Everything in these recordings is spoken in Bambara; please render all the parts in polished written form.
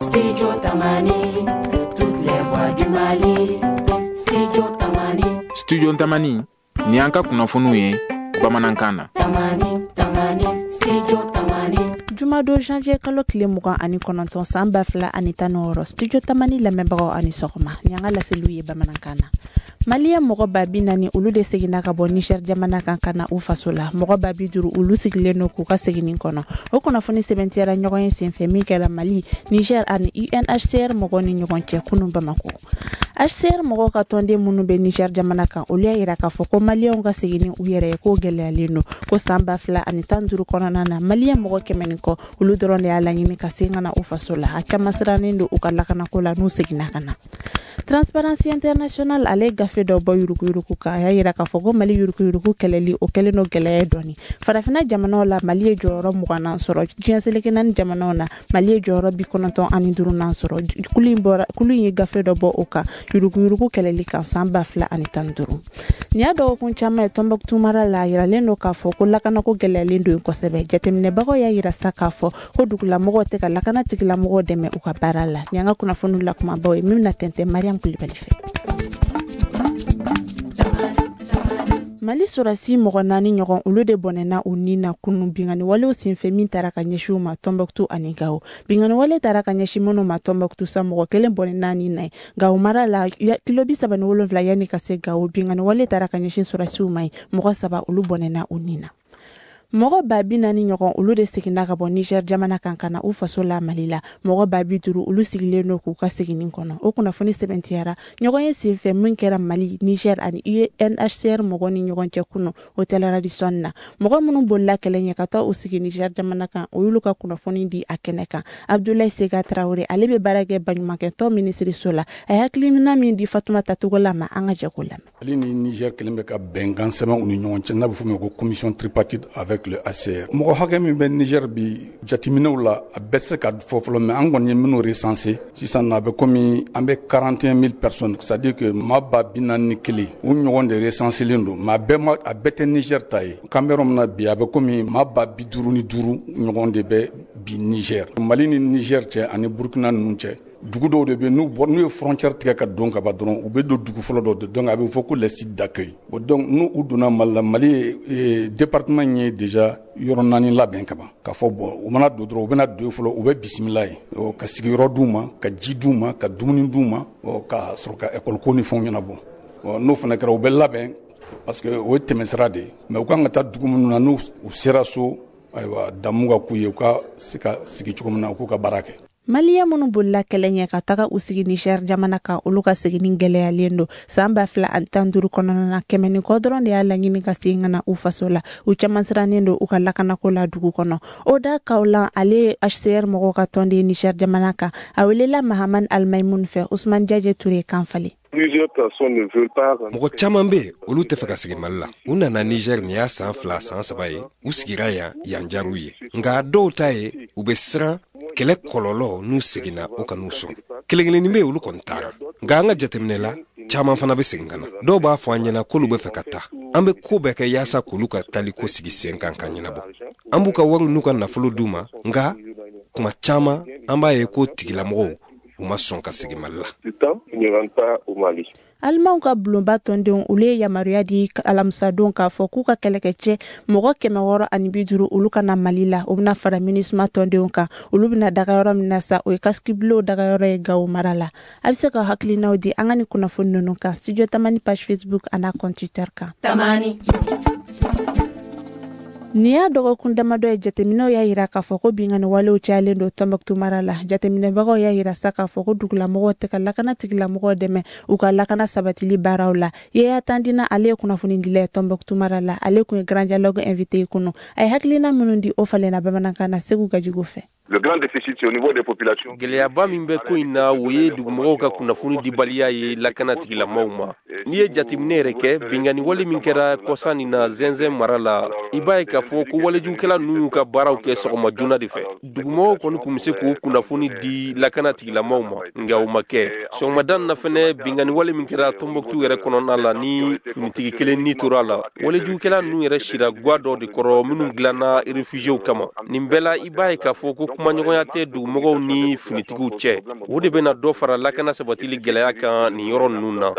Studio Tamani, toutes les voix du Mali. Studio Tamani. Studio Tamani, ni an ka kunnafoniw ye bamanankan na. Tamani, Tamani, Studio Tamani. Jumadon janvier kalo tile 29 san 2016, Studio Tamani lamɛnbagaw ani sɔgɔma. Ni an ka laseliw ye bamanankan na. Maliyɛn mɔgɔ 40,000, olu de seginna ka bɔ Niger jamana kan ka na u faso la. Mɔgɔ 50,000, olu sigilen don k'u ka seginni kɔnɔ. O kunnafoni sɛbɛntiyara ɲɔgɔn ye senfɛ min kɛra Mali, Niger ani UNHCR mɔgɔw ni ɲɔgɔn cɛ kunun Bamako. HCR mɔgɔw ka tɔnden minnu bɛ Niger jamana kan, olu y'a yira k'a fɔ ko maliyɛnw ka segin ni u yɛrɛ ye k'o gɛlɛyalen don. Ko san 2015 kɔnɔna na, maliyɛn mɔgɔ 100 ni kɔ, olu dɔrɔn de y'a laɲini ka segin ka na u faso la. A caman sirannen don u ka lakanako la n'u seginna ka na. Transparency International ale gafe dɔ bɔ yuruguyurugu kan, a y'a yira k'a fɔ ko Mali yuruguyurugu kɛlɛli, o kɛlen don gɛlɛya ye dɔɔni. Farafinna jamanaw la, Mali ye jɔyɔrɔ 20nan sɔrɔ. Diɲɛ seleke naani jamanaw na, Mali ye jɔyɔrɔ 95nan sɔrɔ. Kulu in ye gafe dɔ bɔ o kan yuruguyurugu kɛlɛli kan san 2015. Nin y'a dɔgɔkun caman ye Tɔnbɔkutu mara la, a yiralen don k'a fɔ ko lakanako gɛlɛyalen don kosɛbɛ. Jateminɛbagaw y'a yira sa k'a fɔ ko dugulamɔgɔw tɛ ka lakana tigilamɔgɔw dɛmɛ u ka baara la. Nin y'an ka kunnafoniw la kumabaw ye min bɛna tɛntɛn Mariam Kulibali fɛ. Mali sɔrɔdasi mɔgɔ 4 ɲɔgɔn, olu de bɔnɛna u ni na kunun binkanni walew senfɛ min taara ka ɲɛsin u ma Tɔnbɔkutu ani Gawo. Binkanni wale taara ka ɲɛsin minnu ma Tɔnbɔkutu sa, mɔgɔ 1 bɔnɛna ni na ye. Gawo mara la, kilo 37 yanni ka se Gawo, binkanni wale taara ka ɲɛsin sɔrɔdasiw ma yen, mɔgɔ 3, olu bɔnɛna u ni na. Mɔgɔ 40,000 ɲɔgɔn, olu de seginna ka bɔ Niger jamana kan ka na u faso la Mali la. Mɔgɔ 50,000, olu sigilen don k'u ka seginni kɔnɔ. O kunnafoni sɛbɛntiyara ɲɔgɔn ye senfɛ min kɛra Mali, Niger ani UNHCR mɔgɔw ni ɲɔgɔn cɛ kunun Hôtel Radisson na. Mɔgɔ minnu bolila kɛlɛ ɲɛ ka taa u sigi Niger jamana kan, o y'olu ka kunnafoni di a kɛnɛ kan. Abdoulaye Sega Traoré, ale bɛ baara kɛ baɲumankɛtɔn minisiriso la. A ye hakilina min di Fatumata Togola ma, an ka jɛ k'o lamɛn. Mali ni Niger kelen bɛ ka bɛnkan sɛbɛn u ni ɲɔgɔn cɛ, n'a bɛ f'o ma ko commission tripartite avec le HCR. Mɔgɔ hakɛ min bɛ Niger bi, jateminɛw la, a bɛɛ tɛ se ka fɔ fɔlɔ, mais an kɔni ye minnu recensé sisan na, a bɛ komi an bɛ 41 000 personnes, c'est à dire que maa 41,000 u ɲɔgɔn de recensé len don, mais a bɛɛ ma, a bɛɛ tɛ Niger ta ye. K'an bɛ yɔrɔ min na bi, a bɛ komi maa 55,000 ɲɔgɔn de bɛ bi Niger. Mali ni Niger cɛ ani Burkina ninnu cɛ, dugu dɔw de bɛ n'u bɔ, n'u ye frontière tigɛ ka don ka ban dɔrɔn, u bɛ don dugu fɔlɔ dɔw de, donc a bɛ fɔ ko les sites d'accueil. Bon, donc n'u u donna Mali la, Mali ye département in ye déjà yɔrɔ 4 labɛn ka ban, k'a fɔ bon, u mana don dɔrɔn, u bɛna don fɔlɔ, u bɛ bisimila ye, ka sigiyɔrɔ d'u ma, ka ji d'u ma, ka dumuni d'u ma, ka sɔrɔ ka école ko ni fɛnw ɲɛnabɔ. N'o fana kɛra, u bɛ labɛn parce que o ye tɛmɛsira de ye, mais u kan ka taa dugu minnu na, n'u sera so, ayiwa, damu ka k'u ye, u ka se ka sigi cogo min na, u k'u ka baara kɛ. Maliyɛn minnu bolila kɛlɛ ɲɛ ka taga u sigi Niger jamana kan, olu ka seginni gɛlɛyalen don. San 2015 kɔnɔna na, 100 ni kɔ dɔrɔn de y'a laɲini ka segin ka na u faso la. U caman sirannen don u ka lakanako la dugu kɔnɔ. Oda Kawlan, ale ye HCR mɔgɔw ka tɔnden Niger jamana kan. A welela Mahamani Almayimoun fɛ, Usman Jaje Ture kan falen. Mɔgɔ caman bɛ yen, olu tɛ fɛ ka segin Mali la. U nana Niger nin y'a san 2, san 3 ye. U sigira yan, yan diyar'u ye. Nka dɔw ta ye, u bɛ siran kɛlɛ kɔlɔlɔ n'u seginna o ka n'u sɔrɔ. Kelen kelennin bɛ yen, olu kɔni taara. Nka an ka jateminɛ la, caman fana bɛ segin ka na. Dɔw b'a fɔ an ɲɛna k'olu bɛ fɛ ka taa. An bɛ ko bɛɛ kɛ yaasa k'olu ka taliko sigi sen kan ka ɲɛnabɔ. An b'u ka wari n'u ka nafolo d'u ma, nka tuma caman an b'a ye ko tigilamɔgɔw u ma sɔn ka segin Mali la. Alimanw ka bulonba tɔndenw, olu ye yamaruya di alamisadon k'a fɔ k'u ka kɛlɛkɛcɛ mɔgɔ 650, olu ka na Mali la. O bɛna fara MINUSMA tɔndenw kan. Olu bɛna daga yɔrɔ min na sa, o ye casque-bleu dagayɔrɔ ye Gawo mara la. A bɛ se ka hakilinaw di an ka nin kunnafoni ninnu kan Studio Tamani page Facebook an'a compte Twitter kan. Tamani. Nin y'a dɔgɔkun damadɔ ye, jateminɛw y'a yira k'a fɔ ko binkanni walew cayalen don Tɔnbɔkutu mara la. Jateminɛbagaw y'a yira sa k'a fɔ ko dugulamɔgɔw tɛ ka lakana tigilamɔgɔw dɛmɛ u ka lakana sabatili baaraw la. Yeya Tandina, ale ye kunnafonidila ye Tɔnbɔkutu mara la. Ale kun ye Grand Dialogue invité ye kunun. A ye hakilina minnu di, o falenna bamanankan na Segu Gajigo fɛ. Le grand déficit, c'est au niveau des populations. Gɛlɛyaba min bɛ ko in na, o ye dugumɔgɔw ka kunnafoni dibaliya ye lakana tigilamɔgɔw ma. N'i ye jateminɛ yɛrɛ kɛ, binkanni wale min kɛra kɔsa nin na Zɛnzɛn mara la, i b'a ye k'a fɔ ko walejugukɛla ninnu y'u ka baaraw kɛ sɔgɔma joona de fɛ. Dugumɔgɔw kɔni tun bɛ se k'o kunnafoni di lakana tigilamɔgɔw ma, nka o ma kɛ. Sɔgɔmada in na fɛnɛ, binkanni wale min kɛra Tɔnbɔkutu yɛrɛ kɔnɔna la, ni finitigi kelen ni tora a la, walejugukɛla ninnu yɛrɛ sira gwa dɔ de kɔrɔ minnu dilanna réfugiés kama. Nin bɛɛ la, i b'a ye k'a fɔ ko kumaɲɔgɔnya tɛ dugumɔgɔw ni finitigiw cɛ. O de bɛna dɔ fara lakana sabatili gɛlɛya kan nin yɔrɔ ninnu na.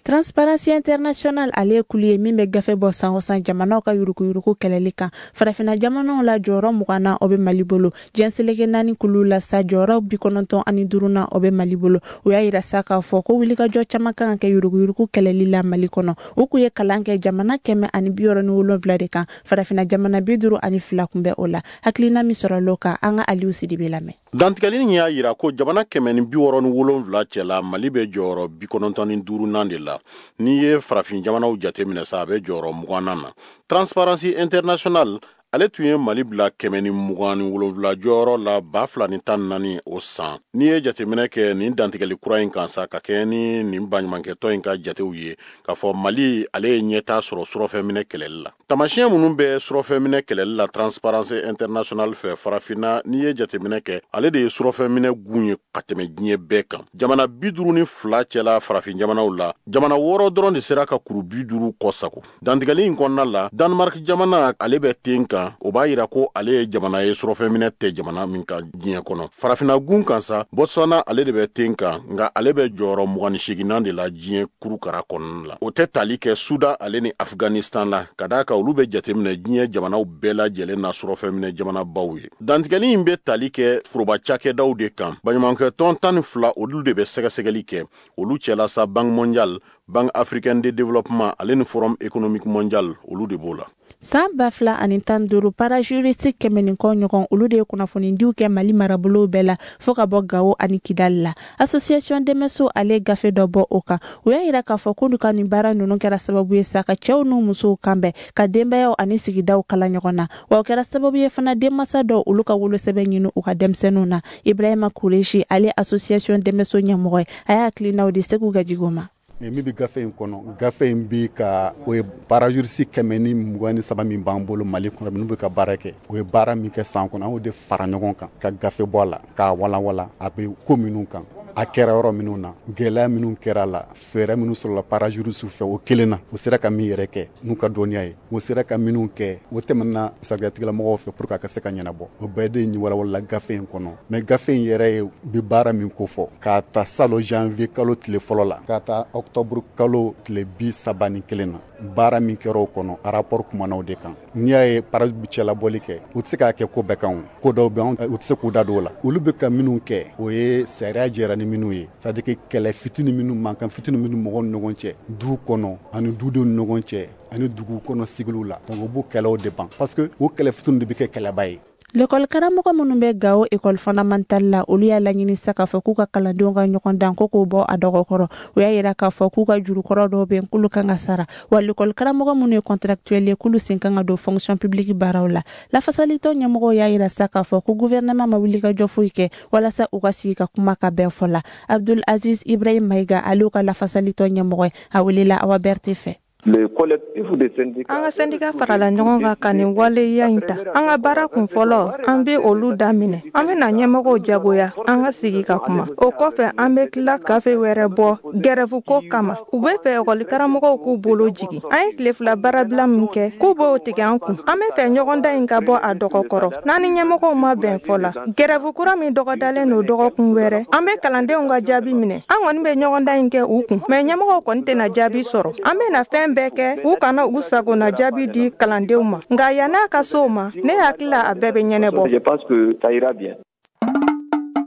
Transparency International ale ye kulu ye min bɛ gafe bɔ san o san jamanaw ka yuruguyurugu kɛlɛli kan. Farafinna jamanaw la, jɔyɔrɔ 20nan, o bɛ Mali bolo. Diɲɛ seleke naani kulu la sa, jɔyɔrɔ 95nan, o bɛ Mali bolo. O y'a yira sa k'a fɔ ko wulikajɔ caman kan ka kɛ yuruguyurugu kɛlɛli la Mali kɔnɔ. U kun ye kalan kɛ jamana 167 de kan. Farafinna jamana 52 kun bɛ o la. Hakilina min sɔrɔla o kan, an ka Aliou Sidibe lamɛn. Dantigɛli in y'a yira ko jamana 167 cɛla, Mali bɛ jɔyɔrɔ 95nan de la. N'i ye farafin jamanaw jate minɛ sa, a bɛ jɔyɔrɔ 20nan na. Transparency International ale tun ye Mali bila 127 jɔyɔrɔ la 2014, o san. N'i ye jateminɛ kɛ nin dantigɛli kura in kan sa, ka kɛɲɛ ni nin baɲumankɛtɔn in ka jatew ye, k'a fɔ Mali ale ye ɲɛtaa sɔrɔ surɔfɛnminɛ kɛlɛli la. Tamasiyɛn minnu bɛ surɔfɛnminɛ kɛlɛli la Transparency International fɛ, farafinna, n'i ye jateminɛ kɛ, ale de ye surɔfɛnminɛ gun ye ka tɛmɛ diɲɛ bɛɛ kan. Jamana 52 cɛla farafin jamanaw la, jamana wɔɔrɔ dɔrɔn de sera ka kuru 50 kɔ sago. Dantigɛli in kɔnɔna la, Danemark jamana ale bɛ ten kan. O b'a yira ko ale ye jamana ye surɔfɛnminɛ tɛ jamana min kan diɲɛ kɔnɔ. Farafinna gun kan sa, Botswana ale de bɛ ten kan, nka ale bɛ jɔyɔrɔ 28nan de la diɲɛ kurukara kɔnɔna la. O tɛ tali kɛ Sudan ale ni Afghanistan la, ka d'a kan olu bɛ jateminɛ diɲɛ jamanaw bɛɛ lajɛlen na surɔfɛnminɛ jamanabaw ye. Dantigɛli in bɛ tali kɛ foroba cakɛdaw de kan. Baɲumankɛtɔn 12, olu de bɛ sɛgɛsɛgɛli kɛ. Olu cɛla sa, Banque mondiale, Banque africaine de développement ale ni Forum économique mondial, olu de b'o la. San 2015, parajuriste 100 ni kɔ ɲɔgɔn, olu de ye kunnafonidiw kɛ Mali marabolow bɛɛ la, fɔɔ ka bɔ Gawo ani Kidali la. Association Dɛmɛso ale gafe dɔ bɔ o kan. U y'a yira k'a fɔ k'olu ka nin baara ninnu kɛra sababu ye sa ka cɛw n'u musow kanbɛn, ka denbayaw ani sigidaw kala ɲɔgɔn na, wa o kɛra sababu ye fana denmansa dɔw, olu ka wolosɛbɛn ɲini u ka denmisɛnninw na. Ibrahima Kureshi ale association Dɛmɛso ɲɛmɔgɔ ye, a y'a hakilinaw di Segu Gajigo ma. Min bɛ gafe in kɔnɔ, gafe in bi ka o ye parajuriste 123 min b'an bolo Mali kɔnɔ, minnu bɛ ka baara kɛ, o ye baara min kɛ san kɔnɔ, an y'o de fara ɲɔgɔn kan ka gafe bɔ a la k'a walanwalan, a bɛ ko minnu kan, a kɛra yɔrɔ minnu na, gɛlɛya minnu kɛra la, fɛɛrɛ minnu sɔrɔla parajuriste fɛ o kelen na, u sera ka min yɛrɛ kɛ n'u ka dɔnniya ye, u sera ka minnu kɛ, o tɛmɛna sariyatigɛlamɔgɔw fɛ pour que a ka se ka ɲɛnabɔ. O bɛɛ de ye walawalala gafe in kɔnɔ. Mais gafe in yɛrɛ ye bi baara min ko fɔ, k'a ta salon janvier kalo tile fɔlɔ la ka taa octobre kalo tile 31 na, baara min kɛra o kɔnɔ, a rapport kumana o de kan. N'i y'a ye para cɛlabɔli kɛ, u tɛ se k'a kɛ ko bɛɛ kan. O ko dɔw bɛ, u tɛ se k'u da don o la. Olu bɛ ka minnu kɛ, o ye sariya jɛra ni minnu ye, c'est à dire que kɛlɛ fitinin minnu, mankan fitinin minnu mɔgɔw ni ɲɔgɔn cɛ du kɔnɔ ani dudenw ni ɲɔgɔn cɛ ani dugu kɔnɔ sigiliw la, donc u b'o kɛlɛw de ban, parce que o kɛlɛ fitinin de bɛ kɛ kɛlɛba ye. L'école karamɔgɔ minnu bɛ Gao école fondamentale la, olu y'a laɲini sa k'a fɔ k'u ka kalandenw ka ɲɔgɔn dan ko k'o bɔ a dɔgɔkɔrɔ. U y'a yira k'a fɔ k'u ka jurukɔrɔ dɔw bɛ yen, k'olu kan ka sara, wa l'école karamɔgɔ minnu ye contractuel ye, k'olu sen kan ka don fonction publique baaraw la. Lafasalitɔn ɲɛmɔgɔw y'a yira sa k'a fɔ ko gouvernement ma wuli ka jɔ foyi kɛ walasa u ka sigi ka kuma ka bɛn fɔ la. Abdul Aziz Ibrahim Maïga ale ka lafasalitɔn ɲɛmɔgɔ ye, a welela Awa Berté fɛ. An ka sɛndika farala ɲɔgɔn kan ka nin waleya in ta. An ka baara kun fɔlɔ, an bɛ olu daminɛ. An bɛna ɲɛmɔgɔw jagoya an ka sigi ka kuma. O kɔfɛ, an bɛ tila gafe wɛrɛ bɔ gɛrɛfu ko kama. U bɛ fɛ ekɔlikaramɔgɔw k'u bolo jigin. An ye tile 2 baarabila min kɛ, k'u b'o tigɛ an kun. An bɛ fɛ ɲɔgɔndan in ka bɔ a dɔgɔkɔrɔ. N'an ni ɲɛmɔgɔw ma bɛn fɔ la, gɛrɛfu kura min dɔgɔdalen don dɔgɔkun wɛrɛ, an bɛ kalandenw ka jaabi minɛ. An kɔni bɛ ɲɔgɔndan in kɛ u kun, mɛ ɲɛmɔgɔw kɔni tɛna jaabi sɔrɔ. An bɛna fɛn bɛɛ kɛ u kana u sagona jaabi di kalandenw ma, nka yann'a ka se o ma, ne hakili la a bɛɛ bɛ ɲɛnabɔ.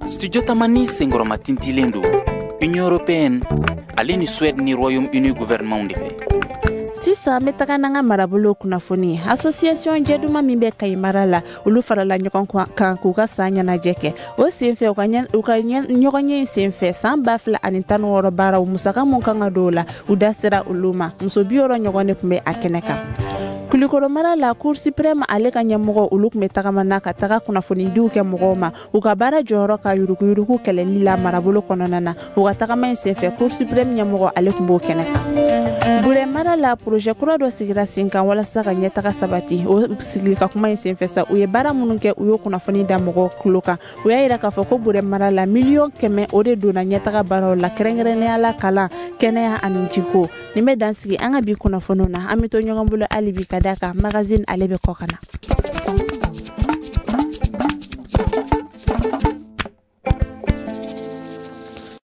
Studio Tamani senkɔrɔma tintilen don Union européenne ale ni Suède ni Royaume-Uni gouvernement de fɛ. Sisan an bɛ taga n'an ka marabolo kunnafoni. Association Jɛduma min bɛ Kayi mara la, olu farala ɲɔgɔn kan k'u ka san ɲɛnajɛ kɛ. O senfɛ, u ka ɲɔgɔnye in senfɛ, san 2016 baaraw musaka mun kan ka don o la, u da sera olu ma. Muso 60 ɲɔgɔn de tun bɛ a kɛnɛ kan. Kulikoro mara la, Cour suprême ale ka ɲɛmɔgɔ, olu tun bɛ tagama na ka taga kunnafonidiw kɛ mɔgɔw ma u ka baara jɔyɔrɔ ka yuruguyurugu kɛlɛli la marabolo kɔnɔna na. U ka tagama in senfɛ, Cour suprême ɲɛmɔgɔ ale tun b'o kɛnɛ kan. Burɛ mara la, projet kura dɔ sigira sen kan walasa ka ɲɛtaga sabati. O sigili ka kuma in senfɛ sa, u ye baara minnu kɛ, u y'o kunnafoni da mɔgɔw tulo kan. U y'a yira k'a fɔ ko Burɛ mara la, miliyɔn 100, o de donna ɲɛtaga baaraw la, kɛrɛnkɛrɛnnenya la kalan, kɛnɛya ani jiko. Nin bɛ dan sigi an ka bi kunnafoniw na. An bɛ to ɲɔgɔn bolo hali bi, ka d'a kan magazine ale bɛ kɔ ka na.